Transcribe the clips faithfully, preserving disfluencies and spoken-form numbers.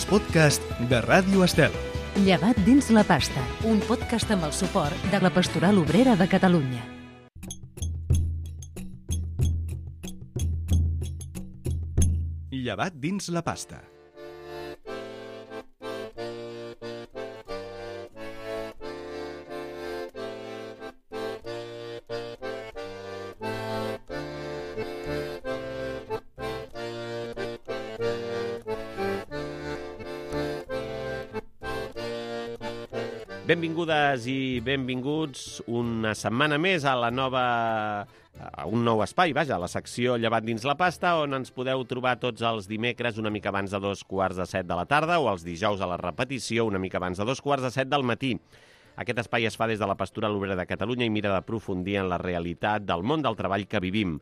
els podcasts de Ràdio Estel. Llevat dins la pasta, un podcast amb el suport de la Pastoral Obrera de Catalunya. Llevat dins la pasta. Benvingudes i benvinguts una setmana més a la nova, a un nou espai, vaja, a la secció Llevat dins la pasta, on ens podeu trobar tots els dimecres una mica abans de dos quarts de set de la tarda o els dijous a la repetició una mica abans de dos quarts de set del matí. Aquest espai es fa des de la Pastoral Obrera de Catalunya i mira d'aprofundir en la realitat del món del treball que vivim.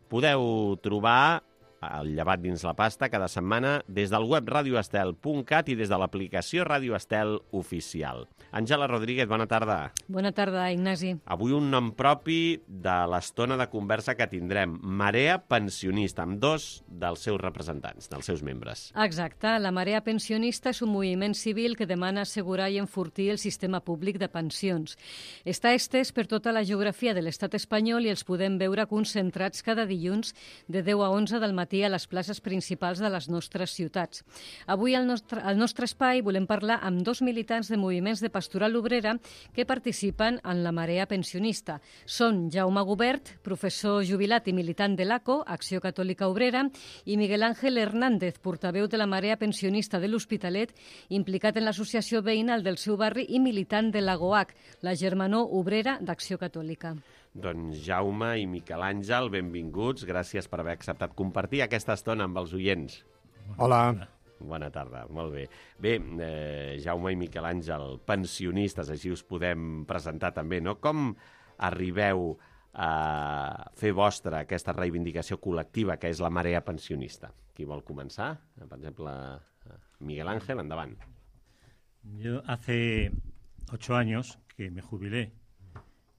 Podeu trobar el Llevat dins la pasta cada setmana des del web radioestel punt cat i des de l'aplicació Ràdio Estel oficial. Àngela Rodríguez, bona tarda. Bona tarda, Ignasi. Avui un nom propi de l'estona de conversa que tindrem, Marea Pensionista, amb dos dels seus representants, dels seus membres. Exacte. La Marea Pensionista és un moviment civil que demana assegurar i enfortir el sistema públic de pensions. Està estès per tota la geografia de l'estat espanyol i els podem veure concentrats cada dilluns de deu a onze del matí a les places principals de les nostres ciutats. Avui al nostre, al nostre espai volem parlar amb dos militants de moviments de Pastoral Obrera que participen en la Marea Pensionista. Són Jaume Gubert, professor jubilat i militant de l'A C O, Acció Catòlica Obrera, i Miguel Ángel Hernández, portaveu de la Marea Pensionista de l'Hospitalet, implicat en l'associació veïnal del seu barri i militant de l'AGOAC, la Germanor Obrera d'Acció Catòlica. Doncs Jaume i Miquel Àngel, benvinguts. Gràcies per haver acceptat compartir aquesta estona amb els oients. Hola. Bona tarda, molt bé. Bé, eh, Jaume i Miquel Àngel, pensionistes, així us podem presentar també, no? Com arribeu a fer vostra aquesta reivindicació col·lectiva que és la Marea Pensionista? Qui vol començar? Per exemple, Miguel Ángel, endavant. Yo hace ocho años que me jubilé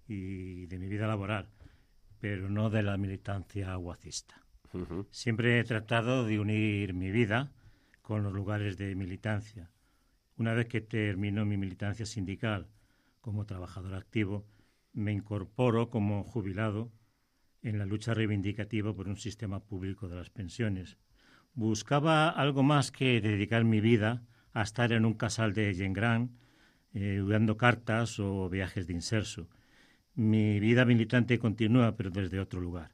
y de mi vida laboral, pero no de la militancia aguacista. Uh-huh. Siempre he tratado de unir mi vida con los lugares de militancia. Una vez que termino mi militancia sindical como trabajador activo, me incorporo como jubilado en la lucha reivindicativa por un sistema público de las pensiones. Buscaba algo más que dedicar mi vida a estar en un casal de gent gran, eh, dando cartas o viajes de inserso. Mi vida militante continúa, pero desde otro lugar,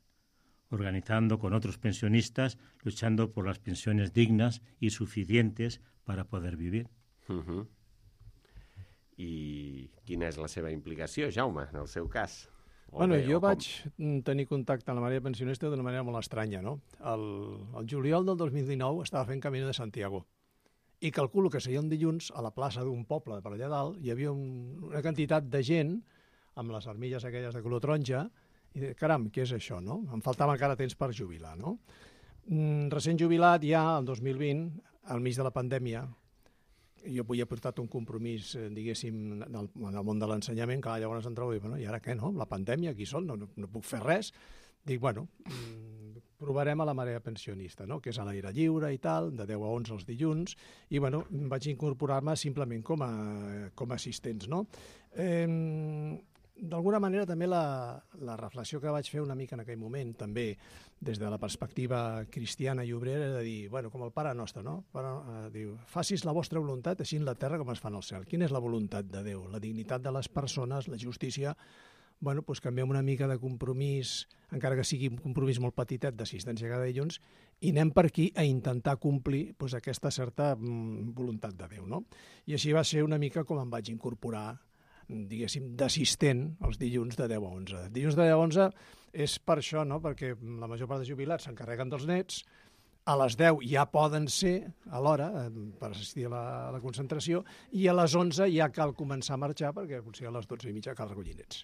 organizando con otros pensionistas, luchando por las pensiones dignas y suficientes para poder vivir. Uh-huh. I quina és la seva implicació, Jaume, en el seu cas? O bueno, bé, jo com... vaig tenir contacte amb la Marea Pensionista d'una manera molt estranya, no? El, el juliol del dos mil dinou estava fent Camino de Santiago i calculo que seria un dilluns a la plaça d'un poble per allà dalt hi havia un, una quantitat de gent amb les armilles aquelles de color taronja, i de, caram, què és això, no? Em faltava encara temps per jubilar, no? Mm, recent jubilat ja, el dos mil vint, al mig de la pandèmia, jo havia portat un compromís, eh, diguéssim, en el, en el món de l'ensenyament, que llavors em trobo i, bueno, i ara què, no? La pandèmia, aquí són, no, no, no puc fer res. Dic, bueno, mm, provarem a la Marea Pensionista, no? Que és a l'aire lliure i tal, de deu a onze els dilluns, i bueno, vaig incorporar-me simplement com a, com a assistents, no? Eh, D'alguna manera també la, la reflexió que vaig fer una mica en aquell moment, també des de la perspectiva cristiana i obrera, de dir, bueno, com el Pare Nostre, no? Pare, eh, diu, facis la vostra voluntat així en la terra com es fa en el cel. Quina és la voluntat de Déu? La dignitat de les persones, la justícia. Bueno, doncs canviem una mica de compromís, encara que sigui un compromís molt petitet d'assistència cada dilluns, i anem per aquí a intentar complir doncs, aquesta certa mm, voluntat de Déu, no? I així va ser una mica com em vaig incorporar, diguéssim, d'assistent els dilluns de deu a onze. Dilluns de deu a onze és per això, no? Perquè la major part de jubilats s'encarreguen dels nets, a les deu ja poden ser a l'hora per assistir a la, a la concentració i a les onze ja cal començar a marxar perquè potser a les dotze i mitja cal recollir nets.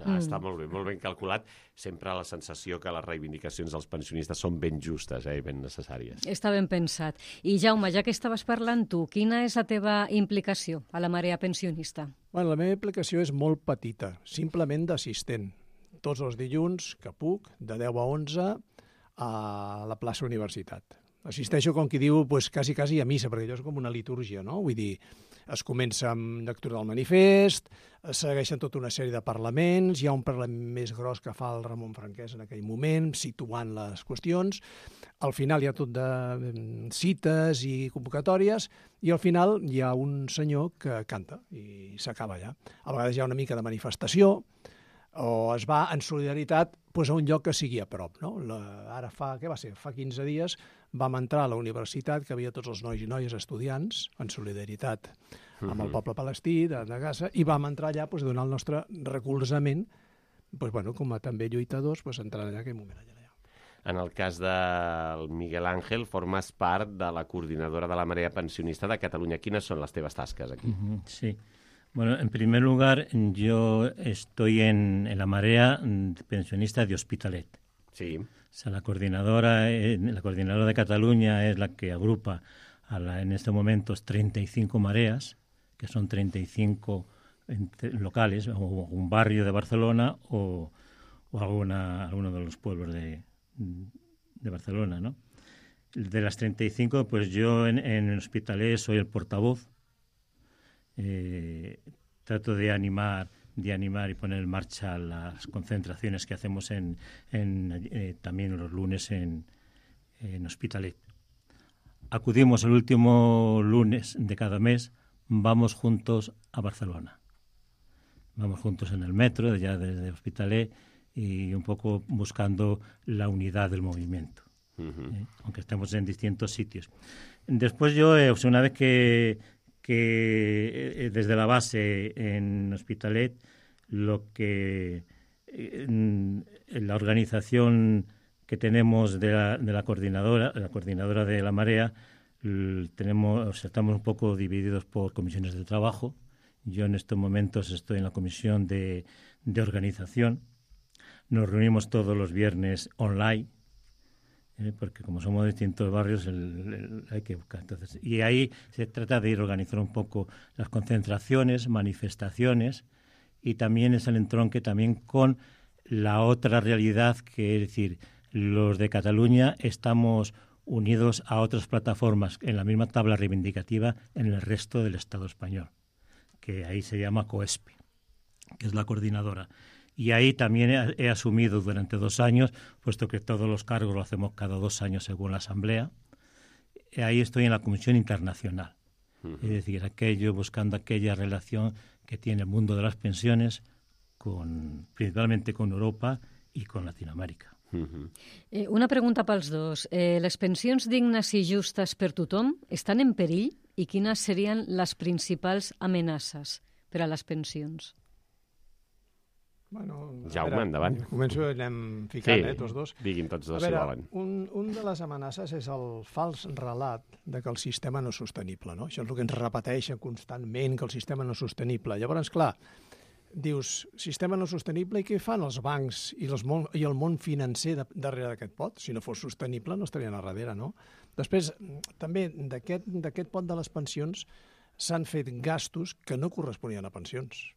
Ah, està molt bé, molt ben calculat. Sempre la sensació que les reivindicacions dels pensionistes són ben justes eh, i ben necessàries. Està ben pensat. I Jaume, ja que estaves parlant tu, quina és la teva implicació a la Marea Pensionista? Bueno, la meva implicació és molt petita, simplement d'assistent. Tots els dilluns que puc, de deu a onze, a la plaça Universitat. assisteixo, com qui diu, pues, quasi, quasi a missa, perquè allò és com una litúrgia, no? Vull dir, es comença amb lectura del manifest, es segueixen tota una sèrie de parlaments, hi ha un parlament més gros que fa el Ramon Franquès en aquell moment, situant les qüestions, al final hi ha tot de cites i convocatòries, i al final hi ha un senyor que canta, i s'acaba allà. A vegades hi ha una mica de manifestació, o es va en solidaritat pues, a un lloc que sigui a prop. No? La, ara fa, què va ser? Fa quinze dies vam entrar a la universitat, que havia tots els nois i noies estudiants, en solidaritat amb el poble palestí de, de Gaza, i vam entrar allà pues, donar el nostre recolzament, pues, bueno, com a també lluitadors, pues, entrant allà aquell moment allà. En el cas del Miguel Ángel, formes part de la coordinadora de la Marea Pensionista de Catalunya. Quines són les teves tasques aquí? Uh-huh, sí. Bueno, en primer lugar, yo estoy en, en la Marea Pensionista de Hospitalet. Sí. O sea, la coordinadora, la coordinadora de Cataluña es la que agrupa a la, en estos momentos treinta y cinco mareas, que son treinta y cinco locales, o un barrio de Barcelona o, o alguna, alguno de los pueblos de, de Barcelona, ¿no? De las treinta y cinco, pues yo en, en Hospitalet soy el portavoz. Eh, trato de animar, de animar y poner en marcha las concentraciones que hacemos en, en eh, también los lunes en, en Hospitalet. Acudimos el último lunes de cada mes, vamos juntos a Barcelona. Vamos juntos en el metro, ya desde Hospitalet, y un poco buscando la unidad del movimiento, uh-huh. eh, aunque estemos en distintos sitios. Después yo, eh, una vez que que desde la base en Hospitalet, lo que en la organización que tenemos de la, de la coordinadora, la coordinadora de la Marea, tenemos, o sea, estamos un poco divididos por comisiones de trabajo. Yo en estos momentos estoy en la comisión de, de organización. Nos reunimos todos los viernes online, ¿eh? Porque como somos de distintos barrios el, el, hay que buscar. Entonces, y ahí se trata de ir organizar un poco las concentraciones, manifestaciones, y también es el entronque también con la otra realidad, que es decir, los de Cataluña estamos unidos a otras plataformas en la misma tabla reivindicativa en el resto del Estado español, que ahí se llama COESPE, que es la coordinadora. Y ahí también he, he asumido durante dos años, puesto que todos los cargos lo hacemos cada dos años según la Asamblea, ahí estoy en la Comisión Internacional. Uh-huh. Es decir, aquello, buscando aquella relación que tiene el mundo de las pensiones, con, principalmente con Europa y con Latinoamérica. Uh-huh. Eh, una pregunta pels dos. Eh, les pensions dignes i justes per tothom estan en perill i quines serien les principals amenaces per a les pensions? Bueno, Jaume, veure, endavant. Començo i anem ficant, sí, eh, tots dos. Diguin tots dos, a veure, si volen. Un, un de les amenaces és el fals relat de que el sistema no és sostenible, no? Això és el que ens repeteixen constantment, que el sistema no és sostenible. Llavors, clar, dius, sistema no sostenible, i què fan els bancs i, els món, i el món financer de, darrere d'aquest pot? Si no fos sostenible, no estarien a darrere, no? Després, també, d'aquest pot de les pensions s'han fet gastos que no corresponien a pensions.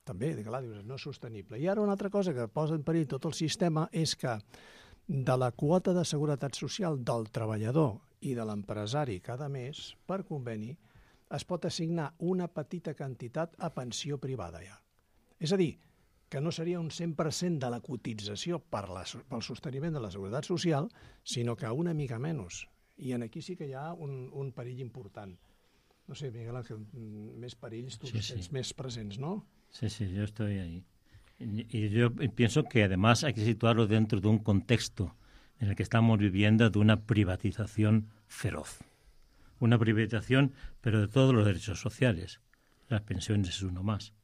També, clar, dius, no és sostenible. I ara una altra cosa que posa en perill tot el sistema és que de la quota de seguretat social del treballador i de l'empresari cada mes, per conveni, es pot assignar una petita quantitat a pensió privada ja. És a dir, que no seria un cent per cent de la cotització per la, pel sosteniment de la seguretat social, sinó que una mica menys. I en aquí sí que hi ha un, un perill important. No sé, Miguel Ángel, més perills, tu sí, sí. Ets més presents, ¿no? Sí, sí, yo estoy ahí. Y yo pienso que además hay que situarlo dentro de un contexto en el que estamos viviendo de una privatización feroz. Una privatización, pero de todos los derechos sociales. Las pensiones es uno más.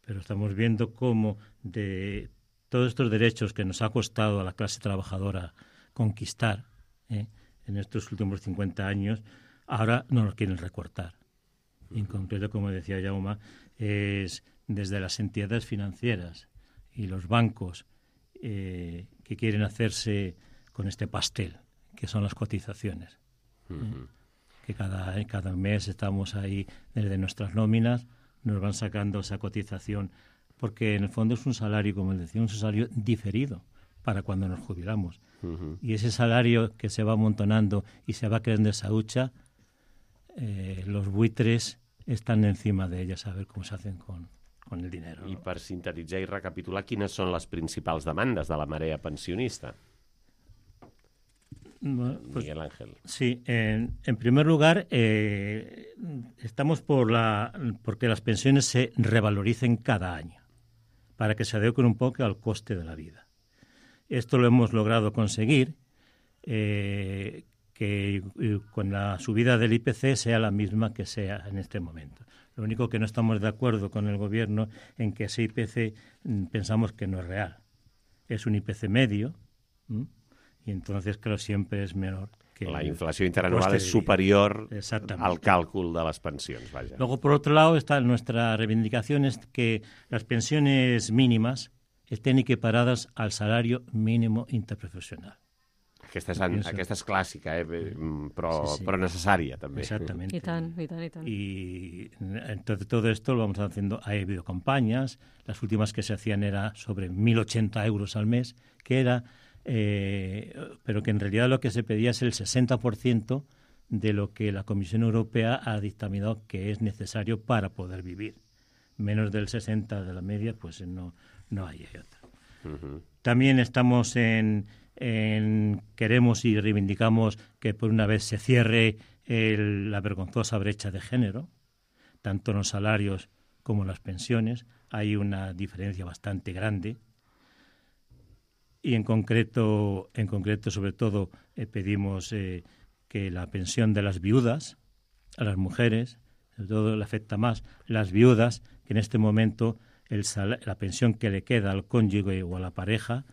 Pero estamos viendo cómo de todos estos derechos que nos ha costado a la clase trabajadora conquistar ¿eh? en estos últimos cincuenta años, ahora nos los quieren recortar. En concreto, como decía Jaume, es desde las entidades financieras y los bancos eh, que quieren hacerse con este pastel, que son las cotizaciones. Uh-huh. ¿eh? Que cada, cada mes estamos ahí, desde nuestras nóminas, nos van sacando esa cotización, porque en el fondo es un salario, como decía, un salario diferido. para cuando nos jubilamos. Uh-huh. Y ese salario que se va amontonando y se va creando esa hucha, eh, los buitres estan encima de ella, a ver cómo se hacen con, con el dinero. I ¿no? per sintetitzar i recapitular, quines són les principals demandes de la marea pensionista? Bueno, pues, Miguel Ángel. sí, en, en primer lugar, eh, estamos por la, porque las pensiones se revaloricen cada año, para que se adecuen un poco al coste de la vida. Esto lo hemos logrado conseguir, eh, que eh, con la subida del I P C sea la misma que sea en este momento. Lo único que no estamos de acuerdo con el Gobierno en que ese I P C mm, pensamos que no es real. Es un I P C medio, ¿m? Y entonces, claro, siempre es menor que La el inflació interanual coste és de vida. superior Exactamente. al càlcul de les pensions, vaja. Luego, por otro lado, está nuestra reivindicación es que las pensiones mínimas estén equiparadas al salario mínimo interprofesional. Aquesta és, en, aquesta és clàssica, eh? però, Sí, sí. però necessària, també. Exactamente. I tant, i tant, i tant. Y entonces todo esto lo vamos haciendo. Ha habido campañas, las últimas que se hacían era sobre mil ochenta euros al mes, que era, eh, pero que en realidad lo que se pedía es el sesenta por ciento de lo que la Comisión Europea ha dictaminado que es necesario para poder vivir. Menos del sesenta por ciento de la media, pues no, no hay otra. Uh-huh. También estamos en, en queremos y reivindicamos que por una vez se cierre el, la vergonzosa brecha de género, tanto en los salarios como en las pensiones. Hay una diferencia bastante grande. Y en concreto, en concreto sobre todo, eh, pedimos eh, que la pensión de las viudas, a las mujeres, sobre todo le afecta más las viudas, que en este momento el sal- la pensión que le queda al cónyuge o a la pareja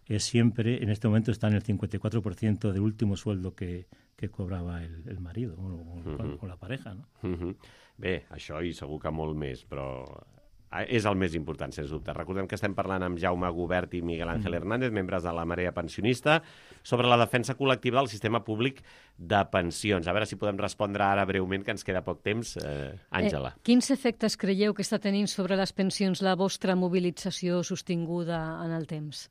es siempre, en este momento está en el cincuenta y cuatro por ciento del último sueldo que, que cobrava el, el marido o, o, Mhm. o la pareja, no? Uh-huh. Bé, això i segur que molt més, però és el més important, sens dubte. Recordem que estem parlant amb Jaume Gubert i Miguel Ángel Hernández, membres de la Marea Pensionista, sobre la defensa col·lectiva del sistema públic de pensions. A veure si podem respondre ara breument, que ens queda poc temps. Eh, Àngela. Eh, quins efectes creieu que està tenint sobre les pensions la vostra mobilització sostinguda en el temps?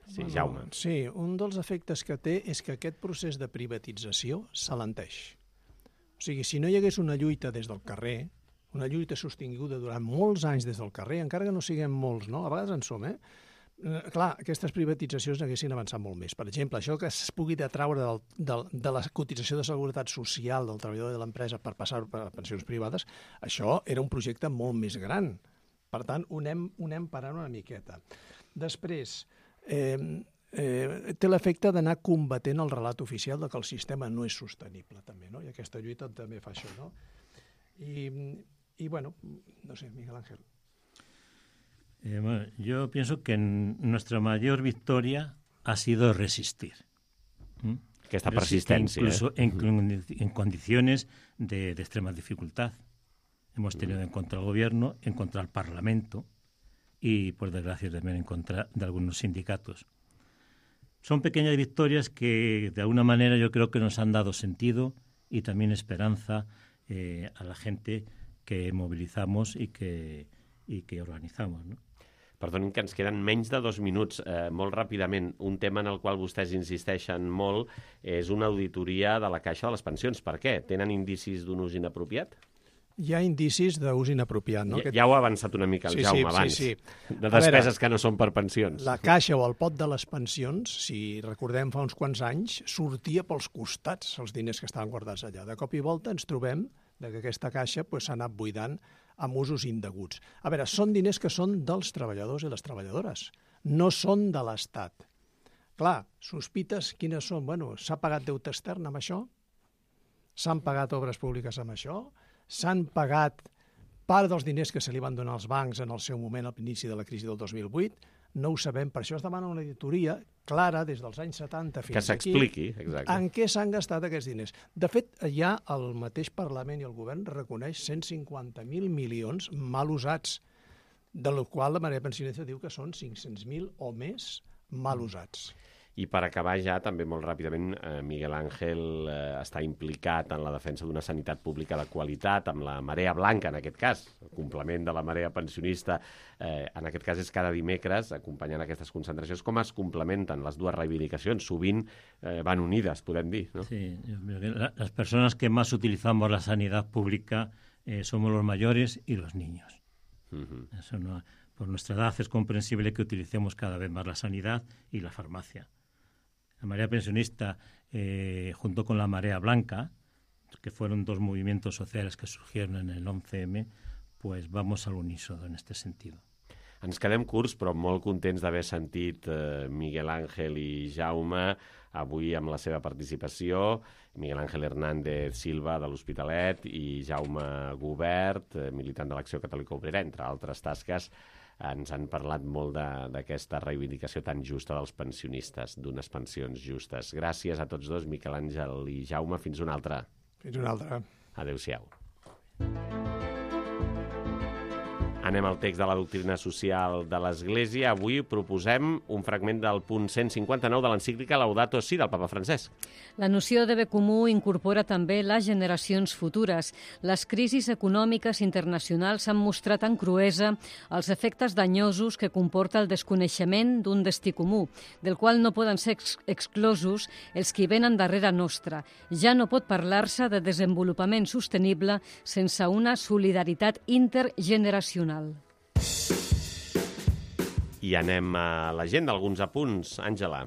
Sí, Jaume. Sí, un dels efectes que té és que aquest procés de privatització s'alenteix. O sigui, si no hi hagués una lluita des del carrer, una lluita sostinguda durant molts anys des del carrer, encara que no siguem molts, no? A vegades en som, eh? Eh, clar, aquestes privatitzacions haguessin avançat molt més. Per exemple, això que es pugui detraure del, del, de la cotització de seguretat social del treballador de l'empresa per passar per pensions privades, això era un projecte molt més gran. Per tant, ho anem, ho anem parant una miqueta. Després, eh, eh, té l'efecte d'anar combatent el relat oficial de que el sistema no és sostenible, també, no? I aquesta lluita també fa això, no? I, y bueno, no sé, Miguel Ángel. Eh, bueno, yo pienso que nuestra mayor victoria ha sido resistir. ¿Mm? Que esta Resistir persistencia. incluso ¿eh? en, en condiciones de, de extrema dificultad. Hemos tenido en contra del gobierno, en contra del Parlamento y, por desgracia, también en contra de algunos sindicatos. Son pequeñas victorias que, de alguna manera, yo creo que nos han dado sentido y también esperanza eh, a la gente que movilizamos i que, i que organitzamos, no? Perdonin que ens queden menys de dos minuts. Eh, molt ràpidament, un tema en el qual vostès insisteixen molt és una auditoria de la Caixa de les Pensions. Per què? Tenen indicis d'un ús inapropiat? Hi ha indicis d'ús inapropiat, no? Ja, ja ho ha avançat una mica el Sí, Jaume sí, abans. sí, sí. De A despeses veure, que no són per pensions. La caixa o el pot de les pensions, si recordem fa uns quants anys, sortia pels costats els diners que estaven guardats allà. De cop i volta ens trobem que aquesta caixa pues, s'ha anat buidant amb usos indeguts. A veure, són diners que són dels treballadors i les treballadores, no són de l'Estat. Clar, sospites quines són? Bueno, s'ha pagat deute extern amb això? S'han pagat obres públiques amb això? S'han pagat part dels diners que se li van donar als bancs en el seu moment al inici de la crisi del dos mil vuit? No ho sabem, per això es demana una auditoria clara des dels anys setanta fins Que aquí. s'expliqui, exacte. En què s'han gastat aquests diners? De fet, ja el mateix Parlament i el Govern reconeix cent cinquanta mil milions mal usats, de la qual la Marea Pensionista diu que són cinc-cents mil o més mal usats. I per acabar ja, també molt ràpidament, eh, Miguel Ángel eh, està implicat en la defensa d'una sanitat pública de qualitat, amb la Marea Blanca, en aquest cas, el complement de la Marea Pensionista, eh, en aquest cas és cada dimecres, acompanyant aquestes concentracions. Com es complementen les dues reivindicacions? Sovint eh, van unides, podem dir, ¿no? Sí, las personas que más utilizamos la sanidad pública eh, somos los mayores y los niños. Uh-huh. Eso no, por nuestra edad es comprensible que utilicemos cada vez más la sanidad y la farmacia. La Marea Pensionista, eh, junto con la Marea Blanca, que fueron dos movimientos sociales que surgieron en el once eme, pues vamos al unísono en este sentido. Ens quedem curts, però molt contents d'haver sentit eh, Miguel Ángel i Jaume avui amb la seva participació. Miguel Ángel Hernández Silva, de l'Hospitalet, i Jaume Gubert, eh, militant de l'Acció Catòlica Obrera, entre altres tasques. Ens han parlat molt d'aquesta reivindicació tan justa dels pensionistes, d'unes pensions justes. Gràcies a tots dos, Miquel Àngel i Jaume. Fins una altra. Fins una altra. Adéu-siau. Anem al text de la doctrina social de l'Església. Avui proposem un fragment del punt cent cinquanta-nou de l'encíclica Laudato Si del papa Francesc. La noció de bé comú incorpora també les generacions futures. Les crisis econòmiques internacionals han mostrat amb cruesa els efectes danyosos que comporta el desconeixement d'un destí comú, del qual no poden ser ex exclosos els que venen darrere nostra. Ja no pot parlar-se de desenvolupament sostenible sense una solidaritat intergeneracional. I anem a l'agenda, alguns apunts. Àngela.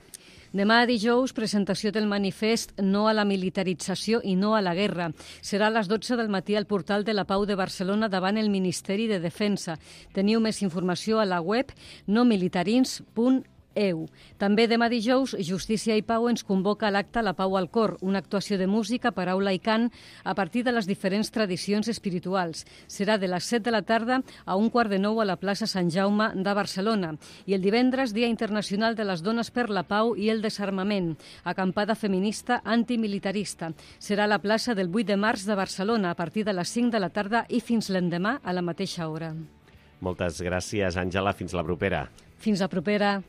Demà dijous, presentació del manifest No a la militarització i no a la guerra. Serà a les dotze del matí al portal de la Pau de Barcelona davant el Ministeri de Defensa. Teniu més informació a la web nomilitarins punt e u. També demà dijous, Justícia i Pau ens convoca a l'acte La Pau al Cor, una actuació de música, paraula i cant a partir de les diferents tradicions espirituals. Serà de les set de la tarda a un quart de nou a la plaça Sant Jaume de Barcelona. I el divendres, Dia Internacional de les Dones per la Pau i el Desarmament, acampada feminista antimilitarista. Serà a la plaça del vuit de març de Barcelona a partir de les cinc de la tarda i fins l'endemà a la mateixa hora. Moltes gràcies, Àngela. Fins la propera. Fins la propera.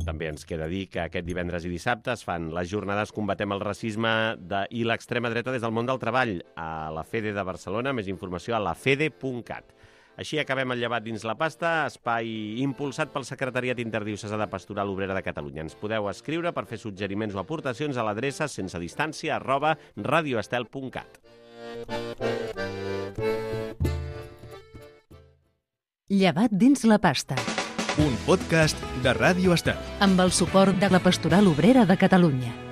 També ens queda dir que aquest divendres i dissabte es fan les jornades Combatem el racisme de, i l'extrema dreta des del món del treball a la Fede de Barcelona. Més informació a la fede punt cat. Així acabem el Llevat dins la pasta, espai impulsat pel Secretariat Interdiocesà de Pastoral Obrera de Catalunya. Ens podeu escriure per fer suggeriments o aportacions a l'adreça sense distància arroba radioestel punt cat. Llevat dins la pasta. Un podcast de Ràdio Estel. Amb el suport de la Pastoral Obrera de Catalunya.